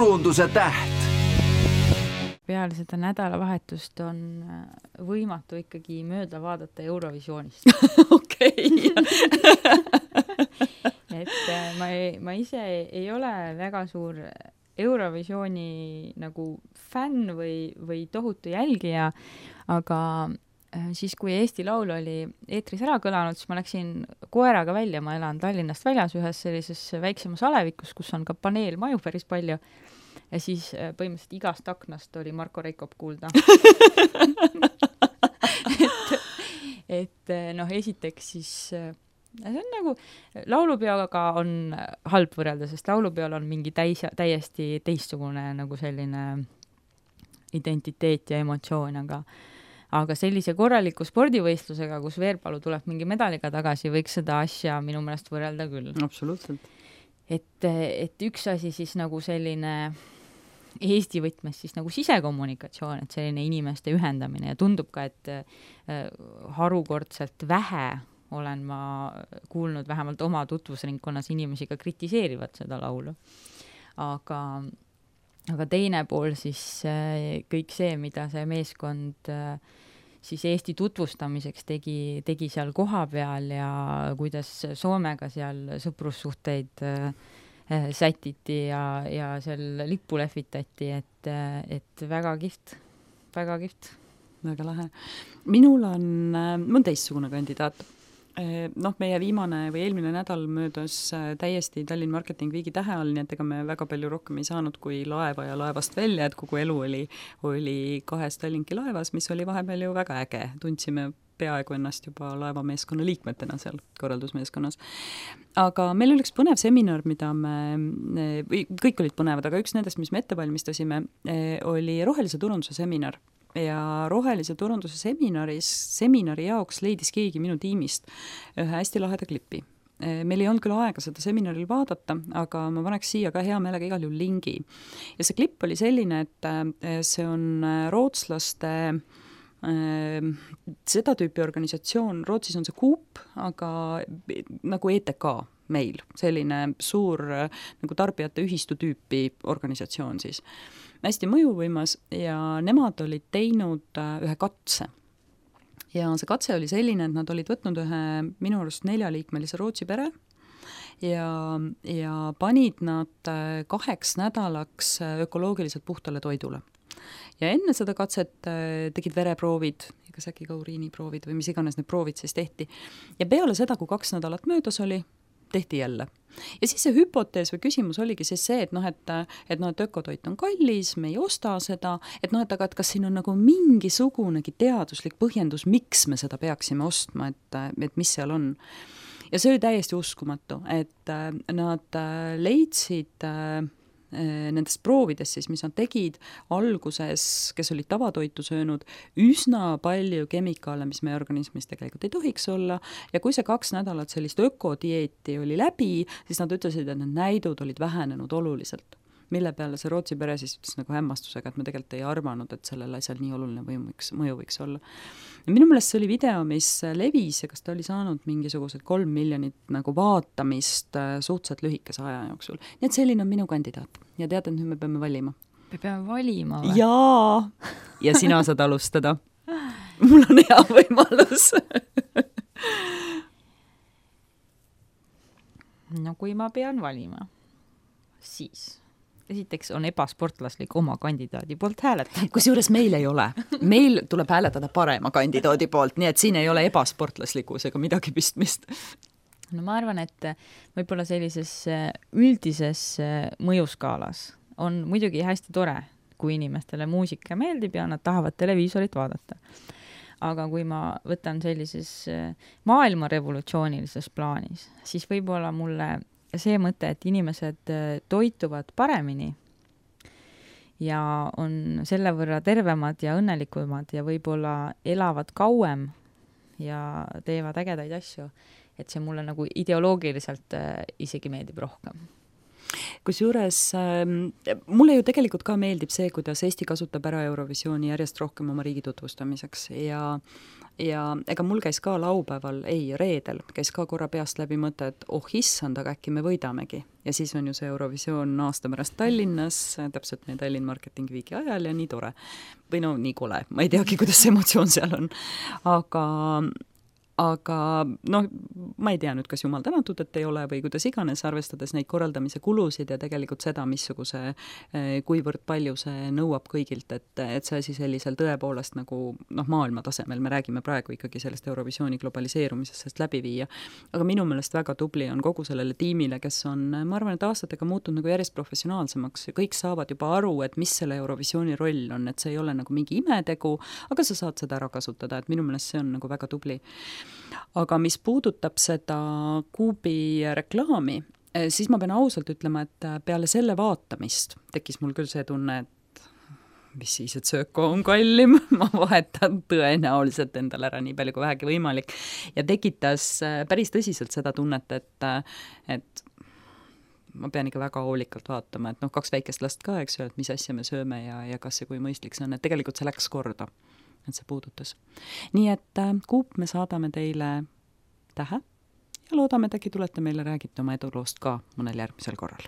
turunduse täht. Peale seda nädalavahetust on võimatu ikkagi mööda vaadata Eurovisioonist. Okei. Et ma ise ei ole väga suur Eurovisiooni nagu fänn või tohutu jälgija, aga siis, kui Eesti Laul oli eetris ära kõlanud, siis ma läksin koeraga välja, ma elan Tallinnast väljas ühes sellises väiksemas alevikus, kus on ka paneelmaju päris palju. Ja siis põhimõtteliselt igast aknast oli Marko Reikop kuulda. et esiteks siis see on nagu, laulupeoga on halb võrrelda, sest laulupeol on mingi täiesti teistsugune nagu selline identiteet ja emotsioon, aga sellise korraliku spordivõistlusega, kus Veerpalu tuleb mingi medaliga tagasi, võiks seda asja minu meelest võrrelda küll. Absoluutselt. Et üks asi siis nagu selline Eesti võtmes siis nagu sisekommunikatsioon, et selline inimeste ühendamine ja tundub ka, et harukordselt vähe olen ma kuulnud vähemalt oma tutvusringkonnas inimesi ka kritiseerivad seda laulu. Aga teine pool siis kõik see, mida see meeskond siis Eesti tutvustamiseks tegi seal koha peal ja kuidas Soomega seal sõprussuhteid sätiti ja seal lippu lehvitati, et väga kihvt, väga kihvt. Väga lahe. Mul on teistsugune kandidaat. Meie viimane või eelmine nädal möödas täiesti Tallinn Marketing Weeki tähe all, nii et ega me väga palju rohkem ei saanud kui laeva ja laevast välja, et kogu elu oli 2 Tallinki laevas, mis oli vahepeal ju väga äge. Tundsime peaaegu ennast juba laevameeskonna liikmetena seal korraldusmeeskonnas. Aga meil oli üks põnev seminar, mida kõik olid põnevad, aga üks nendest, mis me ette valmistasime, oli rohelise turunduse seminar. Ja rohelise turunduse seminari jaoks leidis keegi minu tiimist ühe hästi laheda klipi. Meil ei olnud küll aega seda seminaril vaadata, aga ma paneks siia ka hea meelega igal juhul lingi. Ja see klipp oli selline, et see on rootslaste seda tüüpi organisatsioon, Rootsis on see Coop, aga nagu ETK meil, selline suur nagu tarbijate ühistu tüüpi organisatsioon siis. Hästi mõjuvõimas ja nemad olid teinud ühe katse. Ja see katse oli selline, et nad olid võtnud ühe minu arust 4-liikmelise Rootsi pere ja panid nad 2 nädalaks ökoloogiliselt puhtale toidule. Ja enne seda katset tegid vereproovid, kas äkki ka uriiniproovid või mis iganes need proovid siis tehti. Ja peale seda, kui 2 nädalat möödas oli, tehti jälle. Ja siis see hüpotees või küsimus oligi siis see, et ökotoit on kallis, me ei osta seda, aga kas siin on nagu mingisugunegi teaduslik põhjendus, miks me seda peaksime ostma, et mis seal on. Ja see oli täiesti uskumatu, et nad leidsid nendest proovidest siis, mis nad tegid alguses, kes olid tavatoitu söönud, üsna palju kemikaale, mis meie organismis tegelikult ei tohiks olla, ja kui see 2 nädalat sellist ökodieeti oli läbi, siis nad ütlesid, et need näidud olid vähenenud oluliselt. Mille peale see Rootsi pere siis ütles nagu hämmastusega, et me tegelikult ei arvanud, et sellel asjal nii oluline mõju võiks olla. Ja minu meelest see oli video, mis levis ja kas ta oli saanud mingisugused 3 miljonit nagu vaatamist suhteliselt lühikese aja jooksul. Nii et selline on minu kandidaat. Ja tead, et nüüd me peame valima. Me peame valima või? Jaa! Ja sina saad alustada. Mul on hea võimalus. No kui ma pean valima, siis esiteks on ebasportlaslik oma kandidaadi poolt hääletada. Kusjuures meil ei ole. Meil tuleb hääletada parema kandidaadi poolt, nii et siin ei ole ebasportlaslikkus ega midagi pistmist. No ma arvan, et võib-olla sellises üldises mõjuskaalas on muidugi hästi tore, kui inimestele muusika meeldib ja nad tahavad televiisorit vaadata. Aga kui ma võtan sellises maailma revolutsioonilises plaanis, siis võib-olla mulle see mõte, et inimesed toituvad paremini ja on selle võrra tervemad ja õnnelikumad ja võib-olla elavad kauem ja teevad ägedaid asju, et see mulle nagu ideoloogiliselt isegi meeldib rohkem. kusjuures mulle ju tegelikult ka meeldib see, kuidas Eesti kasutab ära Eurovisiooni järjest rohkem oma riigi tutvustamiseks ja ega mul käis ka laupäeval, reedel, käis ka korra peast läbi mõte, et issand, aga äkki me võidamegi. Ja siis on ju see Eurovisioon aasta pärast Tallinnas, täpselt meie Tallinn Marketing Weeki ajal ja nii tore. Või no nii kole, ma ei teagi, kuidas see emotsioon seal on. Aga noh, ma ei tea nüüd, kas jumal tänatud, et ei ole või kuidas iganes, arvestades neid korraldamise kulusid ja tegelikult seda, missuguse, kuivõrd palju see nõuab kõigilt, et see asi sellisel tõepoolest nagu maailma tasemel, me räägime praegu ikkagi sellest Eurovisiooni globaliseerumisest, sellest läbi viia. Aga minu meelest väga tubli on kogu sellele tiimile, kes on, ma arvan, et aastatega muutunud nagu järjest professionaalsemaks ja kõik saavad juba aru, et mis selle Eurovisiooni roll on, et see ei ole nagu mingi imetegu, aga sa saad seda ära kasutada, et minu meelest see on nagu väga tubli. Aga mis puudutab seda Kuubi reklaami, siis ma pean ausalt ütlema, et peale selle vaatamist tekkis mul küll see tunne, et mis siis, et sööko on kallim, ma vahetan tõenäoliselt endale ära nii palju kui vähegi võimalik ja tekitas päris tõsiselt seda tunnet, et ma pean ikka väga hoolikalt vaatama, et 2 väikest last ka, eks ju, et mis asja me sööme ja kas see kui mõistlik see on, et tegelikult see läks korda. Et see puudutas. Nii et Kuup, me saadame teile tähe ja loodame, et äkki tulete meile räägite oma eduloost ka mõnel järgmisel korral.